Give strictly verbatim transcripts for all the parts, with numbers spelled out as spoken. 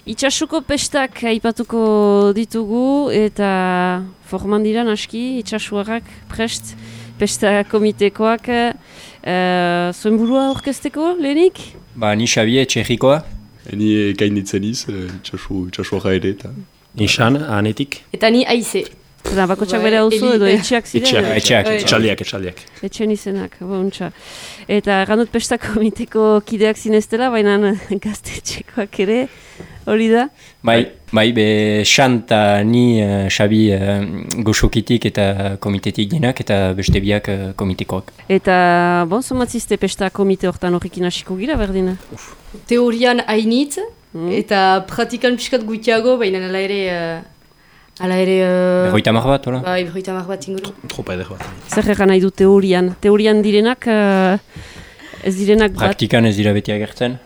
Itxasuko pestak aipatuko ditugu eta forman dira naski itxasuarrak prest pesta komitekoak uh, zuen burua orkesteko lehenik? Ba, ni Xabi Etxerrikoa. Ni gainitzen iz, itxasuarra ere eta... Nixan, anetik. Eta ni aize. Eta bakotxak bere hau zu edo etxeak ziren? Etxeak, etxeak, etxaldiak, etxaldiak. Etxen izenak, bontxa. Eta gandut pesta komiteko kideak zineztela, baina gaztetxekoak ere, hori da? Bai, bai, be Xanta, ni, uh, Xabi uh, goxokitik eta komitetik dinak eta beste biak uh, komitekoak. Eta, bon, zomatzizte pesta komite hortan horrekin hasiko gira, berdina? Teorian hainitz, mm. eta praktikan piskat gutiago, baina ala ere... Uh, Hala ere... Uh, Berroita mar bat, hola? Bai, berroita mar bat inguru. Tropa eder bat. Zer egan nahi du teorian? Teorian direnak, uh, ez direnak bat? Praktikan ez dira beti agertzen.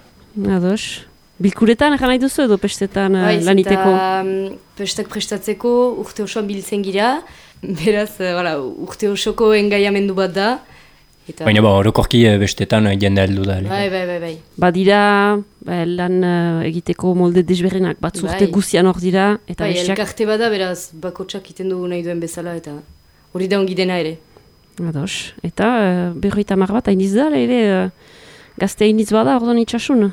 Ados. Bilkuretan egan nahi duzu edo pestetan uh, bai, laniteko? Bai, um, pestak prestatzeko urte osoan biltzen gira. Beraz, uh, voilà, urte osoko engaiamendu bat da. Eta... Baina ba, orokorki bestetan jende heldu da. Bai, bai, bai, bai. Badira ba, lan uh, egiteko molde desberdinak, bat zurte bai. Guzian hor dira. Eta bai, bestiak... elkarte bada, beraz, bakotsak iten dugu nahi duen bezala, eta hori da ongi dena ere. Ados. Eta uh, berroita mar bat, hainiz da, ere uh, gazte hainiz bada, orduan itxasun.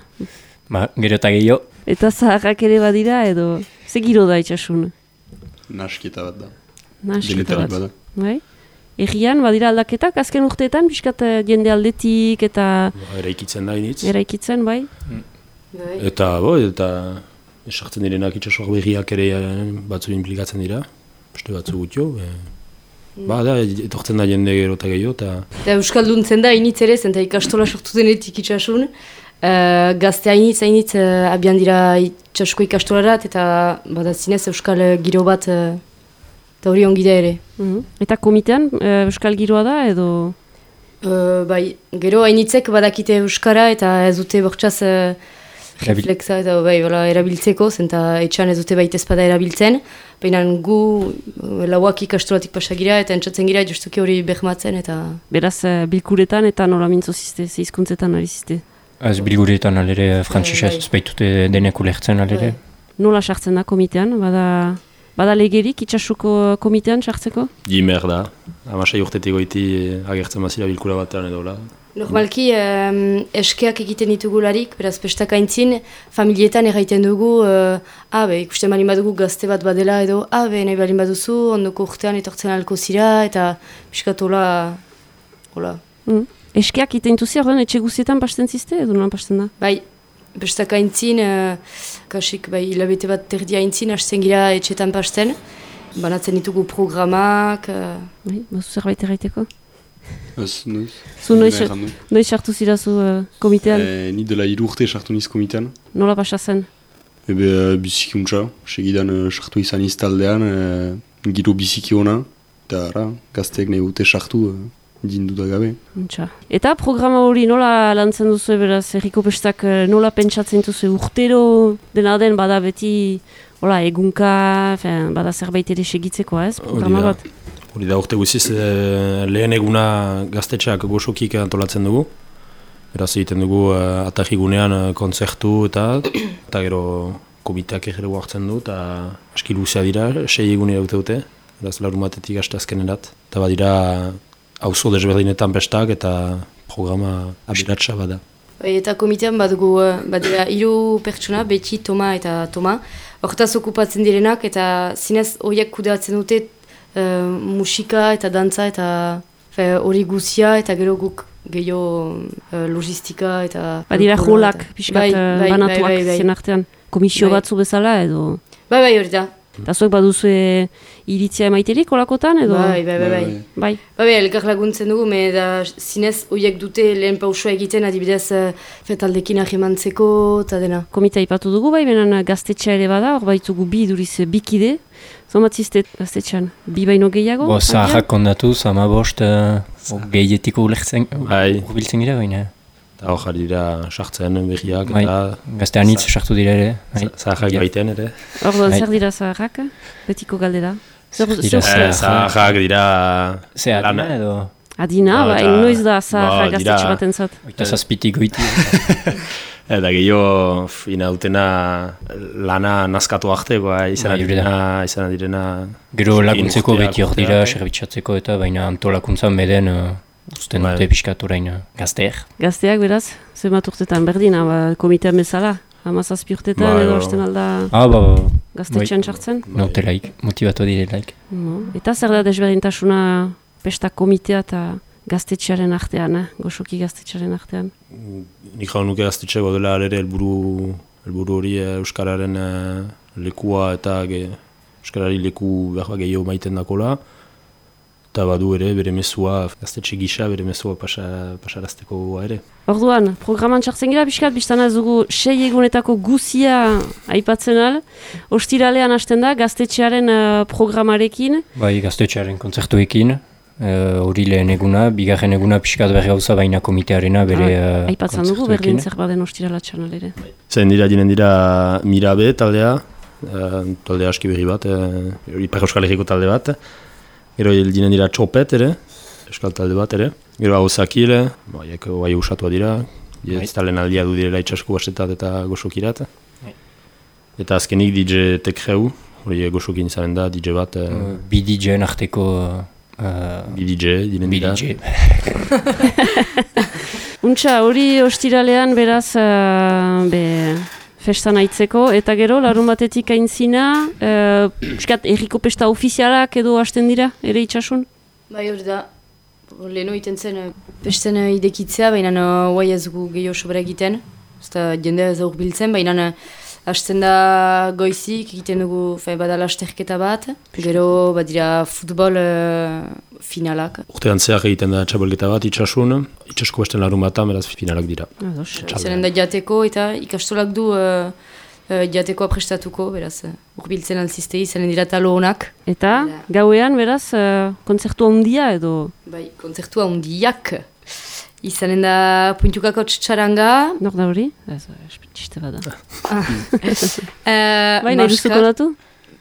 Ba, gero eta gehiago. Eta zaharrak ere badira, edo ze giro da itxasun? Nasketa bat da. Nasketa bat. Bada. Bai? Egian, badira aldaketak, azken urteetan, biskat jende aldetik eta... Ba, eraikitzen da initz. Eraikitzen, bai. Mm. Eta, bo, eta esartzen direnak itxasuak berriak ere batzu implikatzen dira. Beste batzu gutio. E... Mm. Ba, da, etortzen da jende gero eta gehiago. Ta... Eta Euskalduntzen da, initz ere, zenta ikastola sortu denetik itxasun. Uh, gazte hainitz, hainitz, uh, abian dira itxasuko ikastolarat, eta bada zinez Euskal giro bat... Uh, Eta hori ongi da ere. Mm-hmm. Eta komitean uh, Euskal giroa da edo? Uh, bai, gero hainitzek badakite Euskara eta ez dute bortxaz uh, reflexa eta bai, bala, erabiltzeko, zenta etxan ez dute baita ezpada erabiltzen. Baina gu uh, lauak ikastolatik pasagira eta entzatzen gira justuki hori behmatzen eta... Beraz, uh, bilkuretan eta nola mintzo zizte, zehizkuntzetan ari zizte? Ez bilguretan alere frantzisez ez baitute denek ulertzen alere. Nola sartzen da komitean, bada... Bada legerik itxasuko komitean sartzeko? Gimer da. Amasai urtetik goiti agertzen bazira bilkura batean edo la. Normalki um, eskeak egiten ditugularik, beraz pestak aintzin, familietan erraiten dugu, uh, abe, ikusten balin badugu gazte bat badela edo, abe, nahi balin baduzu, ondoko urtean etortzen alko zira, eta piskat hola, hola. Mm. Eskeak egiten duzi, ordan etxe guzietan pasten zizte edo nolan pasten da? Bai. Bestak aintzin, uh, kasik bai, hilabete bat terdia aintzin, hasten gira etxetan pasten. Banatzen ditugu programak... Uh... Bai, bazu zerbait erraiteko? Ez, noiz. Zu noiz, noiz sartu zirazu uh, komitean? E, ni dela hiru urte sartu niz komitean. Nola pasa zen? Ebe uh, biziki untxa, segidan uh, sartu izan iztaldean, uh, giro biziki ona, eta ara, gazteek nahi gute sartu... Uh, dindu da gabe. Untxa. Eta programa hori nola lantzen duzu, beraz, herriko pestak nola pentsatzen duzu, urtero dena den bada beti hola, egunka, fen, bada zerbait ere segitzeko, ez? Programa bat. Hori da, urte guziz e, lehen eguna gaztetxeak goxokik antolatzen dugu. Beraz egiten dugu e, atarrigunean e, kontzertu eta eta gero komiteak egeregu hartzen du eta aski luzea dira, sei egunera dute dute. Beraz larumatetik aste azkenerat. Eta badira auzo desberdinetan pestak eta programa abiratsa bada. Eta komitean badugu, badira hiru pertsona, Beti, Toma eta Toma. Hortaz okupatzen direnak eta zinez horiek kudeatzen dute uh, musika eta dantza eta hori guzia eta gero guk gehiago uh, logistika eta... Badira jolak, pixkat bai, bai, banatuak bai, bai, bai. Zien artean. Komisio bai. Batzu bezala edo... Bai, bai, hori da. Eta zuek baduzu iritzia emaiterik olakotan edo? Bai, bai, bai. Bai, bai. bai elkar laguntzen dugu, me da zinez horiek dute lehen pausua egiten adibidez fetaldekin ahimantzeko eta dena. Komitea ipatu dugu bai, benen gaztetxea ere bada, hor baitugu bi duriz bikide. Zomatzizte gaztetxean, bi baino gehiago? Bo, zaharrak kondatu, zama bost uh, gehietiko ulertzen, bai. Urbiltzen gira baina. Eta hor jari dira sartzen berriak. Bai, gazte anitz sartu dira ere. Zaharrak baiten ere. Orduan, zer dira zaharrak? Betiko galdera? Zaharrak dira... Ze adina edo? Adina, ba, noiz da zaharrak gaztetxe baten zat. Oita zazpitik goiti. Eta gehiago, ina dutena lana nazkatu artekoa, izan Bai, direna, izan direna... Gero laguntzeko urteak, beti hor urteak, dira, eh? zerbitzatzeko eta baina antolakuntzan beden uh, usten Bai. dute pixkat orain uh, gazteek. Gazteak beraz, zenbat urtetan berdin, ba, komitean bezala, hamazazpi urtetan Bai, edo bai. hasten alda Ah, ba, ba, gaztetxean sartzen. nautelaik, motivatu direlaik. No. Eta zer da desberdintasuna pesta komitea eta gaztetxearen artean, eh? Goxoki gaztetxearen artean. Nik jau nuke gaztetxeko dela ere helburu helburu hori eh, Euskararen eh, lekua eta ge, Euskarari leku behar bat gehiago maiten dakola. Eta badu ere bere mezua, gaztetxe gisa bere mezua pasa, pasarazteko ere. Orduan, programan txartzen gira, pixkat, biztan ez dugu sei egunetako guzia aipatzen al. Ostiralean hasten da, gaztetxearen uh, programarekin. Bai, gaztetxearen kontzertuekin, hori uh, lehen eguna, bigarren eguna pixkat berri gauza baina komitearena bere uh, Aipatzen dugu, berdin zer baden ostirala txanal ere. Zain dira, dinen dira Mirabe taldea, eh, talde aski berri bat, eh, hori Ipar Euskal Herriko talde bat. Gero dinen dira Txopet ere, Euskal talde bat ere. Gero Hauzakil, baiek bai usatua dira, ez talen aldia du direla itxasko bastetat eta goxokirat. Eta azkenik D J Tekreu, hori goxokin izaren da, D J bat. Eh, uh, bi D J-en arteko uh, bi D J, dinen bi dira. D J. Untxa, hori ostiralean beraz, uh, be, festan aitzeko, eta gero, larun batetik aintzina, uh, piskat, erriko pesta ofizialak edo hasten dira, ere itxasun? Bai, hori da, leheno iten zen, eh, pesten eh, idekitzea, baina uh, guai ez gu gehiago sobera egiten, ez da jendea ez aur biltzen, baina uh, hasten da goizik, egiten dugu fe, bada lasterketa bat, gero badira futbol uh, finalak. Urtean zehar egiten da txabelketa bat itxasun, itxasko besten larun batan, beraz finalak dira. Ados. Izanen da jateko eta ikastolak du uh, uh, jatekoa prestatuko, beraz, uh, urbiltzen alziztegi, izanen dira talo honak. Eta, gauean, beraz, uh, kontzertu handia edo... Bai, kontzertua handiak. Izanen da puntukako txaranga. Nor da hori? Ez, txiste bada. Uh, Bai, nahi duzu konatu?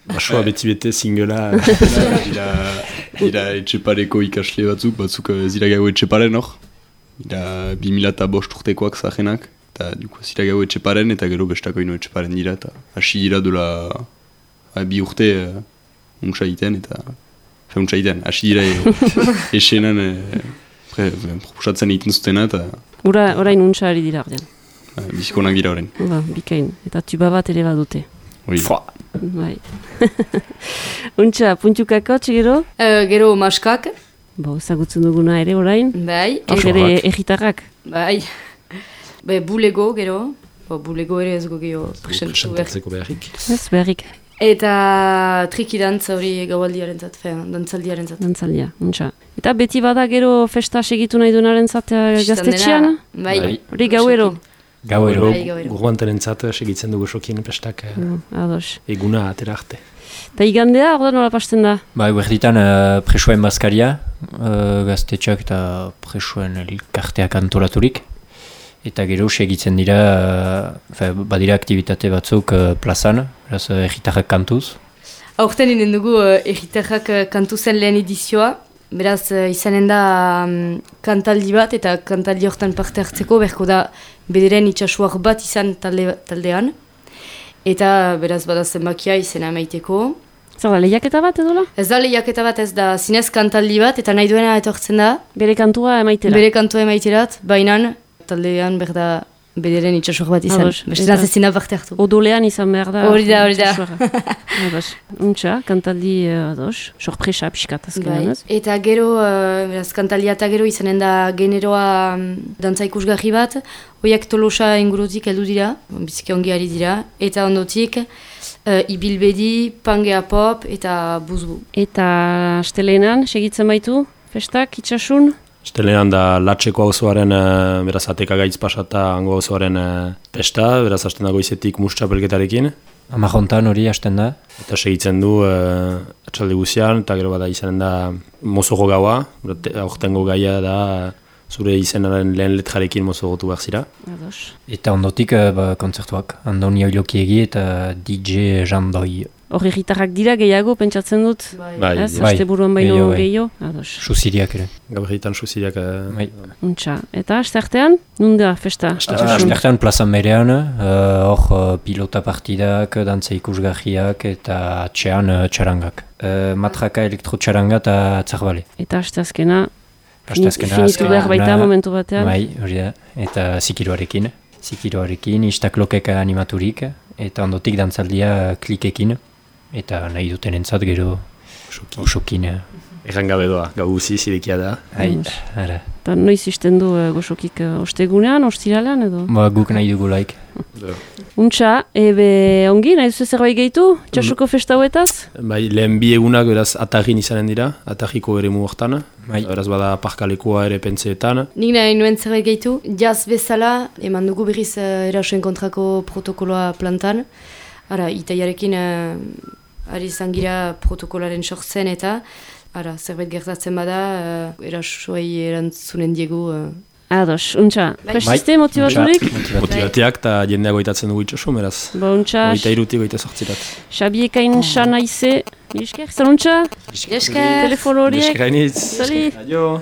Basoa beti bete singela. Dira, dira etxepareko ikasle batzuk, batzuk eh, zira gau etxeparen hor. Dira bi mila eta bost urtekoak zahenak. Eta duko zira gau etxeparen eta gero bestako ino etxeparen dira. Eta hasi dira dola ah, bi urte uh, untsa egiten eta... Fe untsa egiten, hasi dira e, esenan e, pre, proposatzen egiten zutena eta Ura, orain untsa ari dira ordean. uh, bizikonak dira horren. Ba, bikain. Eta tuba bat ere badute. Hori. Bai. Untsa, puntukako txegero? uh, gero maskak. Bo, ezagutzen duguna ere orain. Bai. Hor e- ere egitarrak. Bai. Be, bulego gero. Bo, bulego ere ez gehiago presentu behar. Presentatzeko beharrik. Ez, beharrik. Eta triki dantza hori gaualdiaren zat, dantzaldiaren zat. Dantzaldia, untsa. Eta beti bada gero festa segitu nahi duenaren zat eh, gaztetxean? Bai. Bai. Hori gauero? Gauero. Bai, gauero. Gurguantaren zat segitzen dugu sokin pestak eh, No, ados. eguna atera arte. Eta igandea, orda nola pasten da? Ba, berditan uh, presoen bazkaria, uh, gaztetxak eta presoen elkarteak antolaturik. Eta gero segitzen dira, uh, fe, badira aktivitate batzuk uh, plazan, beraz uh, erritarrak kantuz. Aurten inen dugu uh, erritarrak uh, kantu zen lehen edizioa. Beraz, uh, izanen da um, kantaldi bat eta kantaldi hortan parte hartzeko berko da bederen itxasuak bat izan talde, taldean. Eta beraz bada zenbakia izena maiteko. Zer da, lehiaketa bat edola? Ez da lehiaketa bat, ez da zinez kantaldi bat eta nahi duena etortzen da. Bere kantua emaitera? Bere kantua emaiterat, baina taldean berda bederen itxasuak bat izan. Ados, Besteraz eta- ezina parte hartu. Odolean izan behar da. Hori da, hori da. Ados. Untsa, kantaldi, uh, ados, sorpresa pixkat azkenean, Bai. ez? Eta gero, uh, beraz, kantalia eta gero izanen da generoa um, dantza ikusgarri bat, hoiak Tolosa ingurutik heldu dira, biziki ongi ari dira, eta ondotik uh, ibilbedi, pangea pop eta buzbu. Eta astelehenan, segitzen baitu, festak, itxasun? Estelean da Latxeko auzoaren, eh, beraz ateka gaitz pasata hango auzoaren eh, pesta, beraz hasten da goizetik mustxapelketarekin. Amajontan hori hasten da. Eta segitzen du eh, atxalde guzian, eta gero bada izanen da mozoko gaua, te- aurtengo gaia da zure izenaren lehen letrarekin mozogotu behar zira. Ados. Eta ondotik uh, ba, kontzertuak, Andoni Oilokiegi eta D J Jean Doi. Hori gitarrak dira gehiago, pentsatzen dut. Bai, Ez, bai. aste buruan baino Gehiago, bai. gehiago. Ados. Susiriak ere. gaur egiten suziriak... Uh, Bai. Untxa. Eta aste artean, nunda festa? Astertan plazan berean, hor uh, uh, pilota partidak, dantza ikusgarriak eta atxean uh, txarangak. Uh, matraka elektrotxaranga eta atzarbale. Eta aste azkena, Asteazkena, finitu behar baita azkena- momentu batean. Bai, hori da. Eta zikiroarekin. Zikiroarekin, istaklokek animaturik, eta ondotik dantzaldia klikekin. Eta nahi duten entzat gero osokin. eh. Erran gabe doa, gau guzi zirekia da. Hai, Vamos. ara. Eta noiz izten du uh, goxokik uh, ostegunean, ostiralean edo? Ba, guk nahi dugu laik. Untxa, ebe ongi, nahi duzu zerbait gehitu? Txasuko festa huetaz? Bai, lehen bi egunak beraz atagin izanen dira, atagiko ere hortan. Bai. Beraz bada parkalekoa ere pentseetan. Nik nahi nuen zerbait gehitu, jaz bezala, eman dugu berriz uh, erasoen kontrako protokoloa plantan. Ara, itaiarekin uh, ari izan gira protokolaren sortzen eta ara, zerbait gertatzen bada, uh, erasoei erantzunen diegu. Uh. Ados, untxa. Bai. Prestiste motibaturik? Motivatu. Motibateak eta jendea goitatzen dugu itxoso, beraz. Ba, untxa, Goita iruti, goita sortzirat. Xabiekain xana ize. Esker, zaluntxa? Esker! Telefono horiek? Deskainitz. Sali. Adio!